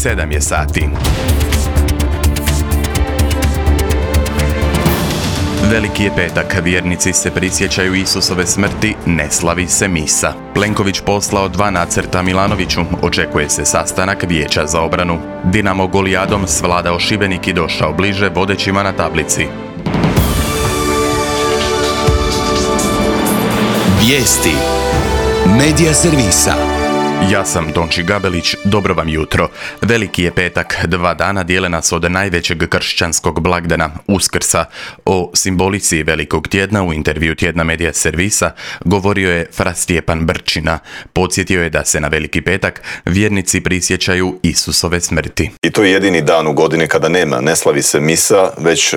7 je sati. Veliki je petak, vjernici se prisjećaju Isusove smrti, ne slavi se misa. Plenković poslao 2 nacrta Milanoviću, očekuje se sastanak Vijeća za obranu. Dinamo golijadom svladao Šibenik i došao bliže vodećima na tablici. Vijesti Medija servisa. Ja sam Tonči Gabelić, dobro vam jutro. Veliki je petak, 2 dana dijele nas od najvećeg kršćanskog blagdana, Uskrsa. O simbolici Velikog tjedna u intervju Tjedna Medija servisa govorio je fra Stjepan Brčina. Podsjetio je da se na Veliki petak vjernici prisjećaju Isusove smrti. I to je jedini dan u godini kada ne slavi se misa, već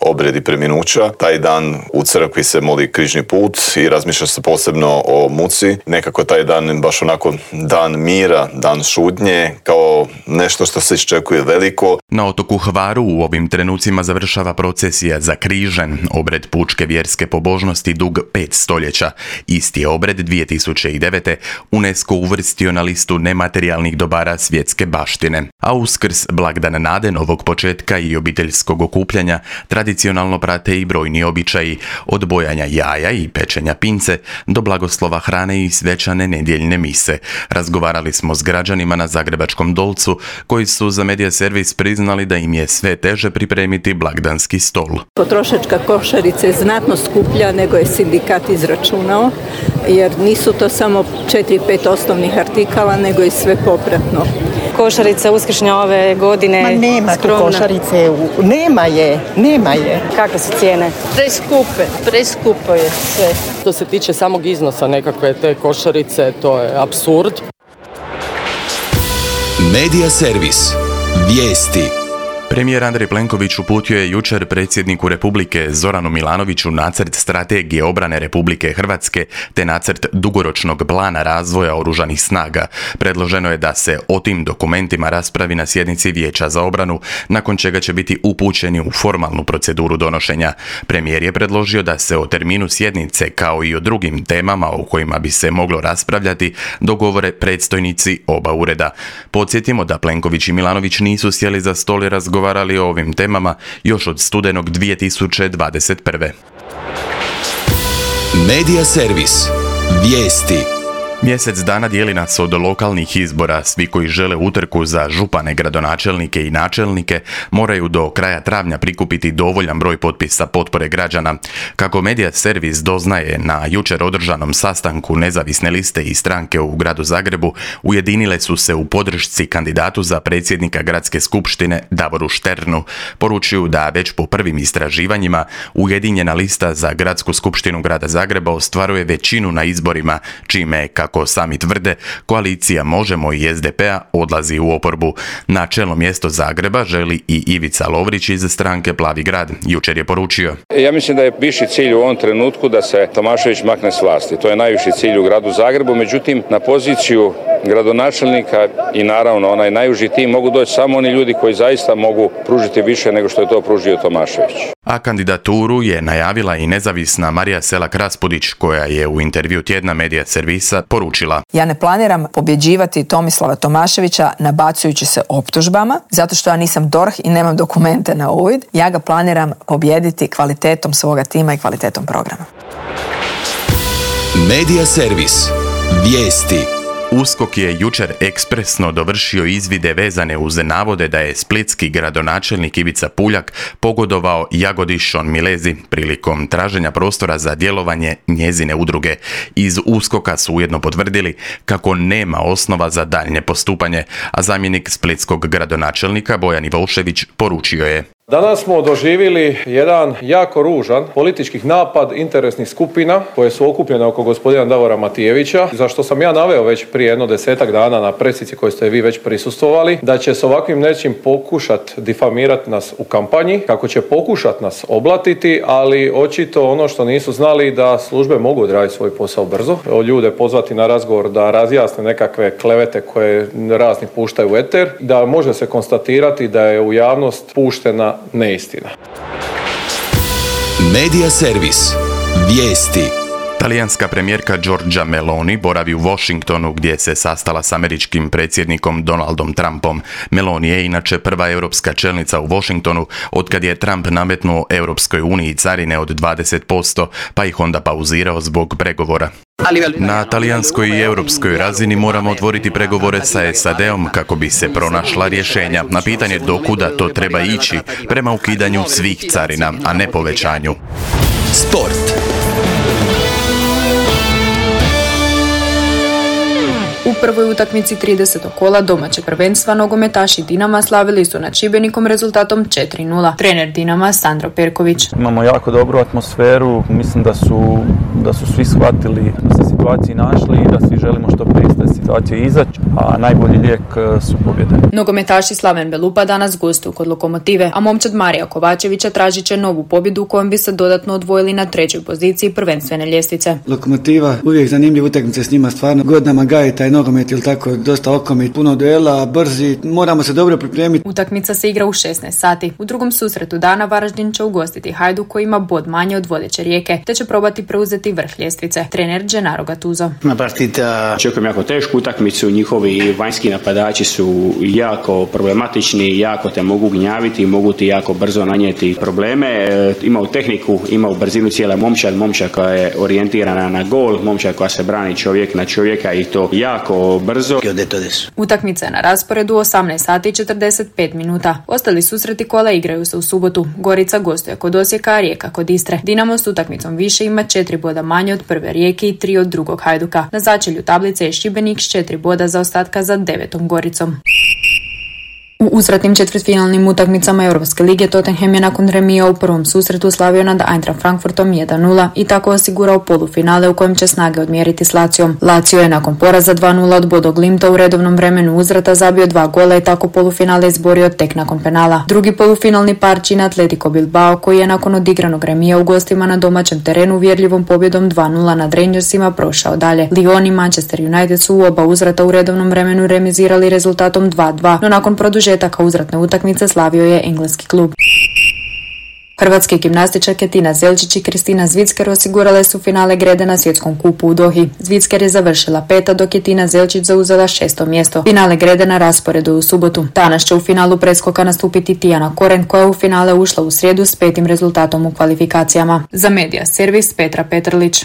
obredi preminuća. Taj dan u crkvi se moli križni put i razmišlja se posebno o muci. Nekako taj dan baš onako dan mira, dan šutnje, kao nešto što se iščekuje veliko. Na otoku Hvaru u ovim trenucima završava procesija za križen, obred pučke vjerske pobožnosti dug 5 stoljeća. Isti je obred 2009. UNESCO uvrstio na listu nematerijalnih dobara svjetske baštine. A Uskrs, blagdan nade, novog početka i obiteljskog okupljanja, tradicionalno prate i brojni običaji, od bojanja jaja i pečenja pince do blagoslova hrane i svečane nedjeljne mise. Razgovarali smo s građanima na Zagrebačkom Dolcu, koji su za Medija servis priznali da im je sve teže pripremiti blagdanski stol. Potrošačka košarica je znatno skuplja nego je sindikat izračunao, jer nisu to samo 4-5 osnovnih artikala, nego i sve popratno. Košarica uskršnja ove godine Ma nema skromna. Tu košarice, nema je. Kakve su cijene? Preskupo je sve. Što se tiče samog iznosa nekakve te košarice, to je apsurd. Medija servis. Vijesti. Premijer Andrej Plenković uputio je jučer predsjedniku Republike Zoranu Milanoviću nacrt strategije obrane Republike Hrvatske te nacrt dugoročnog plana razvoja oružanih snaga. Predloženo je da se o tim dokumentima raspravi na sjednici Vijeća za obranu, nakon čega će biti upućeni u formalnu proceduru donošenja. Premijer je predložio da se o terminu sjednice, kao i o drugim temama o kojima bi se moglo raspravljati, dogovore predstojnici oba ureda. Podsjetimo da Plenković i Milanović nisu sjeli za stol i razgovarali o ovim temama još od studenog 2021. Medija servis. Vijesti. Mjesec dana dijeli nas od lokalnih izbora. Svi koji žele utrku za župane, gradonačelnike i načelnike moraju do kraja travnja prikupiti dovoljan broj potpisa potpore građana. Kako Medija servis doznaje, na jučer održanom sastanku nezavisne liste i stranke u gradu Zagrebu ujedinile su se u podršci kandidatu za predsjednika gradske skupštine Davoru Šternu. Poručuju da već po prvim istraživanjima ujedinjena lista za gradsku skupštinu grada Zagreba ostvaruje većinu na izborima, čime, kako sami tvrde, koalicija Možemo i SDP-a odlazi u oporbu. Na čelno mjesto Zagreba želi i Ivica Lovrić iz stranke Plavi grad. Jučer je poručio: Ja mislim da je viši cilj u ovom trenutku da se Tomašević makne s vlasti. To je najviši cilj u gradu Zagrebu, međutim na poziciju gradonačelnika i naravno onaj najuži tim mogu doći samo oni ljudi koji zaista mogu pružiti više nego što je to pružio Tomašević. A kandidaturu je najavila i nezavisna Marija Selak-Raspudić, koja je u intervju Tjedna Medija servisa poručila: Ja ne planiram pobjeđivati Tomislava Tomaševića nabacujući se optužbama, zato što ja nisam DORH i nemam dokumente na uvid. Ja ga planiram pobijediti kvalitetom svoga tima i kvalitetom programa. Medija servis. Vijesti. USKOK je jučer ekspresno dovršio izvide vezane uz navode da je splitski gradonačelnik Ivica Puljak pogodovao Jagodi Šon Milezi prilikom traženja prostora za djelovanje njezine udruge. Iz USKOK-a su ujedno potvrdili kako nema osnova za daljnje postupanje, a zamjenik splitskog gradonačelnika Bojan Ivošević poručio je: Danas smo doživjeli jedan jako ružan politički napad interesnih skupina koje su okupljene oko gospodina Davora Matijevića, za što sam ja naveo već prije jedno 10-ak dana na pressici koje ste vi već prisustvovali, da će s ovakvim nečim pokušati difamirati nas u kampanji, kako će pokušati nas oblatiti, ali očito ono što nisu znali da službe mogu odraditi svoj posao brzo, ljude pozvati na razgovor da razjasne nekakve klevete koje razni puštaju u eter, da može se konstatirati da je u javnost puštena neistina. Medija servis. Vijesti. Talijanska premijerka Giorgia Meloni boravi u Washingtonu gdje se sastala s američkim predsjednikom Donaldom Trumpom. Meloni je inače prva europska čelnica u Washingtonu otkad je Trump nametnuo Europskoj uniji carine od 20%, pa ih onda pauzirao zbog pregovora. Na talijanskoj i europskoj razini moramo otvoriti pregovore sa SAD-om kako bi se pronašla rješenja na pitanje dokuda to treba ići prema ukidanju svih carina, a ne povećanju. Sport. U prvoj utakmici 30. kola domaćeg prvenstva nogometaši Dinama slavili su nad Šibenikom rezultatom 4:0. Trener Dinama Sandro Perković. Imamo jako dobru atmosferu, mislim da su svi shvatili da se situaciji našli i da svi želimo što prije iz te situacije izaći, a najbolji lijek su pobjede. Nogometaši Slaven Belupa danas gostuju kod Lokomotive, a momčad Marija Kovačevića tražit će novu pobjedu kojom bi se dodatno odvojili na trećoj poziciji prvenstvene ljestvice. Lokomotiva, uvijek zanimljiv utakmice s njima, stvarno godinama gaji taj nogomet ili tako, dosta okomit, puno duela, brzi, moramo se dobro pripremiti. Utakmica se igra u 16 sati. U drugom susretu dana Varaždin će ugostiti Hajduk koji ima bod manje od vodeće Rijeke, te će probati preuzeti vrh ljestvice. Trener Gennaro Gattuso. Očekujem jako tešku utakmicu, njihovi vanjski napadači su jako problematični, jako te mogu gnjaviti, mogu ti jako brzo nanijeti probleme. Imaju tehniku, imaju brzinu cijela momčad koja je orijentirana na gol, momčad koja se brani čovjek na čovjeka i to jako brzo. Utakmica je na rasporedu 18 sati i 45 minuta. Ostali susreti kola igraju se u subotu. Gorica gostuje kod Osijeka, a Rijeka kod Istre. Dinamo s utakmicom više ima 4 boda manje od prve Rijeke i 3 od drugog Hajduka. Na začelju tablice je Šibenik s 4 boda zaostatka za 9. Goricom. U uzvratnim četvrtfinalnim utakmicama Europske lige Tottenham je nakon remija u prvom susretu slavio nad Eintracht Frankfurtom 1:0 i tako osigurao polufinale u kojem će snage odmjeriti s Lacijom. Lazio je nakon poraza 2:0 od Bodo Glimta u redovnom vremenu uzvrata zabio 2 gola i tako polufinale izborio tek nakon penala. Drugi polufinalni par čini Atletico Bilbao koji je nakon odigranog remija u gostima na domaćem terenu uvjerljivom pobjedom 2:0 nad Rangersima prošao dalje. Lyon i Manchester United su u oba uzvrata u redovnom vremenu remizirali rezultatom 2:2, no nakon produženja uzvratne utakmice slavio je engleski klub. Hrvatske gimnastičarke Tina Zelčić i Kristina Zvicker osigurale su finale grede na svjetskom kupu u Dohi. Zvicker je završila 5. dok je Tina Zelčić zauzela 6. mjesto. Finale grede na rasporedu u subotu. Danas će u finalu preskoka nastupiti Tijana Koren koja je u finale ušla u srijedu s 5. rezultatom u kvalifikacijama. Za Medija Servis Petra Petrlić.